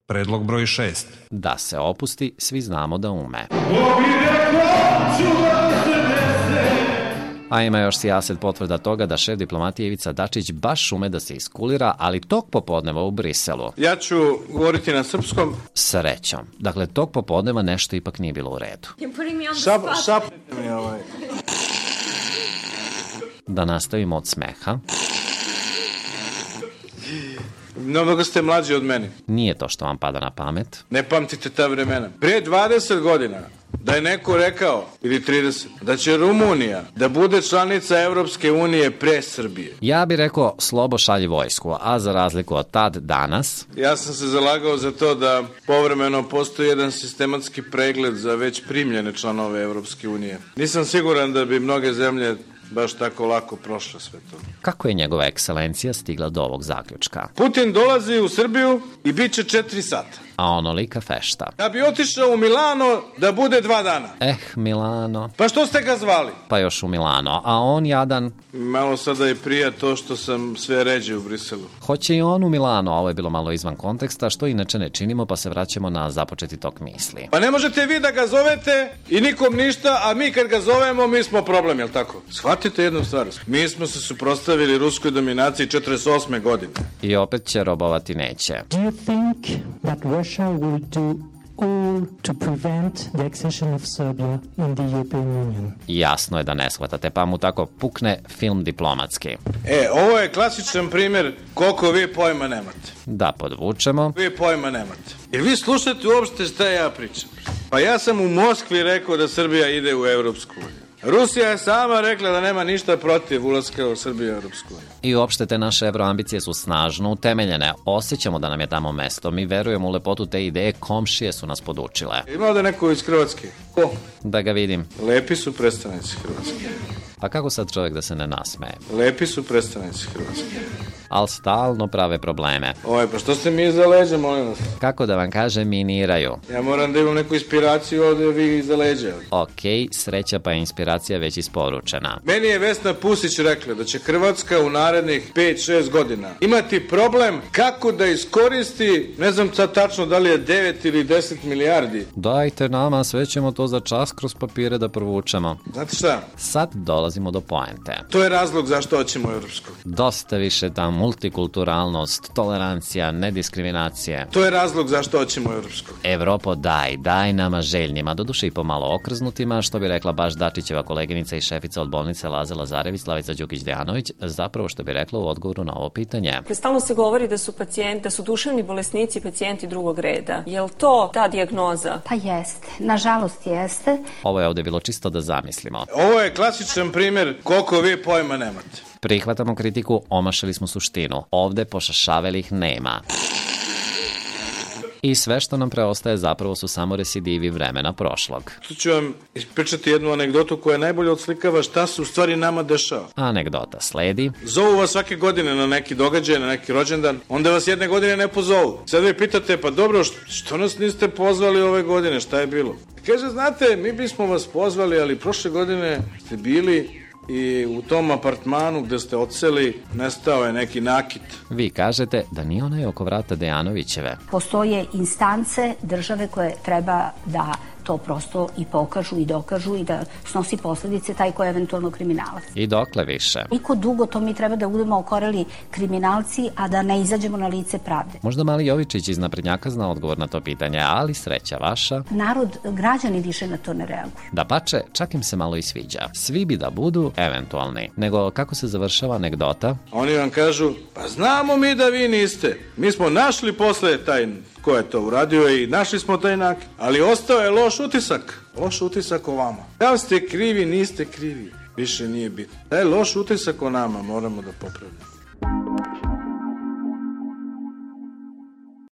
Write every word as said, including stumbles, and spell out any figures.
Predlog broj šest. Da se opusti, svi znamo da ume. A ima još sijaset potvrda toga da šef diplomatije Ivica Dačić baš ume da se iskulira, ali tog popodneva u Briselu. Ja ću govoriti na srpskom. Srećom. Dakle, tog popodneva nešto ipak nije bilo u redu. Šap, šapnite mi ovaj. Da nastavimo od smeha. No, mnogo ste mlađi od meni. Nije to što vam pada na pamet. Ne pamtite ta vremena. Prije dvadeset godina da je neko rekao, ili trideset, da će Rumunija da bude članica Evropske unije pre Srbije. Ja bih rekao slobo šalji vojsku, a za razliku od tad danas... Ja sam se zalagao za to da povremeno postoji jedan sistematski pregled za već primljene članove Evropske unije. Nisam siguran da bi mnoge zemlje baš tako lako prošle sve to. Kako je njegova ekscelencija stigla do ovog zaključka? Putin dolazi u Srbiju i bit će četiri sata. A onolika fešta. Da bi otišao u Milano da bude dva dana. Eh, Milano. Pa što ste ga zvali? Pa još u Milano, a on jadan... Malo sada je prija to što sam sve ređe u Briselu. Hoće i on u Milano, a ovo je bilo malo izvan konteksta, što inače ne činimo, pa se vraćamo na započeti tok misli. Pa ne možete vi da ga zovete i nikom ništa, a mi kad ga zovemo, mi smo problem, jel tako? Shvatite jednu stvar. Mi smo se suprotstavili ruskoj dominaciji četrdeset osme godine. I opet će robovati neće. Do you think that Russia will do all to prevent the accession of Serbia in the European Union? Jasno je da ne shvatate, pa mu tako pukne film diplomatski. E, ovo je klasičan primjer koliko vi pojma nemate. Da podvučemo. Vi pojma nemate. Jer vi slušate uopšte šta ja pričam. Pa ja sam u Moskvi rekao da Srbija ide u Evropsku uniju. Rusija je sama rekla da nema ništa protiv ulaska u Srbiju u Evropsku uniju. I uopšte te naše evroambicije su snažno utemeljene. Osjećamo da nam je tamo mesto. Mi verujemo u lepotu te ideje, komšije su nas podučile. Ima ovde neko iz Hrvatske? Ko? Da ga vidim. Lepi su predstavnici Hrvatske. Pa kako sad čovjek da se ne nasmeje? Lepi su predstavnici Hrvatske. Ali stalno prave probleme. Oj, pa što ste mi iza leđa, molim vas? Kako da vam kažem, miniraju. Ja moram da imam neku inspiraciju ovde, vi iza leđa. Okej, sreća pa je inspiracija već isporučena. Meni je Vesna Pusić rekla da će Hrvatska u narednih pet šest godina imati problem kako da iskoristi, ne znam sad tačno da li je devet ili deset milijardi. Dajte nama, sve ćemo to za čas kroz papire da provučemo. Znate šta? Sad dolazimo do poente. To je razlog zašto hoćemo u Evropsku. Dosta više ta multikulturalnost, tolerancija, nediskriminacije. To je razlog zašto hoćemo u Evropsku. Evropo, daj, daj nama željnima, doduše i pomalo okrznutima, što bi rekla baš Dačićeva koleginica i šefica od bolnice Laza Lazarević, Slavica Đukić-Dejanović, zapravo što bi rekla u odgovoru na ovo pitanje. Stalno se govori da su pacijenti, da su duševni bolesnici pacijenti drugog reda. Je li to ta dijagnoza? Pa jeste, nažalost jeste. Ovo je ovde bilo čisto da zamislimo. Ovo je klasičan primjer koliko vi pojma nemate. Prihvatamo kritiku, omašali smo suštinu. Ovde pošašavelih nema. I sve što nam preostaje zapravo su samo residivi vremena prošlog. Tu ću vam ispričati jednu anegdotu koja najbolje odslikava šta se u stvari nama dešava. Anegdota sledi. Zovu vas svake godine na neki događaj, na neki rođendan, onda vas jedne godine ne pozovu. Sad vi pitate, pa dobro, što, što nas niste pozvali ove godine, šta je bilo? Kaže, znate, mi bismo vas pozvali, ali prošle godine ste bili i u tom apartmanu gde ste odseli nestao je neki nakit. Vi kažete da nije onaj oko vrata Dejanovićeve. Postoje instance države koje treba da to prosto i pokažu i dokažu i da snosi posledice taj ko je eventualno kriminalac. I dokle više? Koliko dugo to mi treba da budemo okoreli kriminalci, a da ne izađemo na lice pravde? Možda mali Jovičić iz naprednjaka zna odgovor na to pitanje, ali sreća vaša. Narod, građani više na to ne reaguju. Da pače, čak im se malo i sviđa. Svi bi da budu eventualni. Nego kako se završava anegdota? Oni vam kažu, pa znamo mi da vi niste. Mi smo našli posle taj ko je to uradio i našli smo taj nakit. Ali ostao je loš utisak. Loš utisak o vama. Da li ste krivi, niste krivi. Više nije bitno. Taj loš utisak o nama moramo da popravljamo.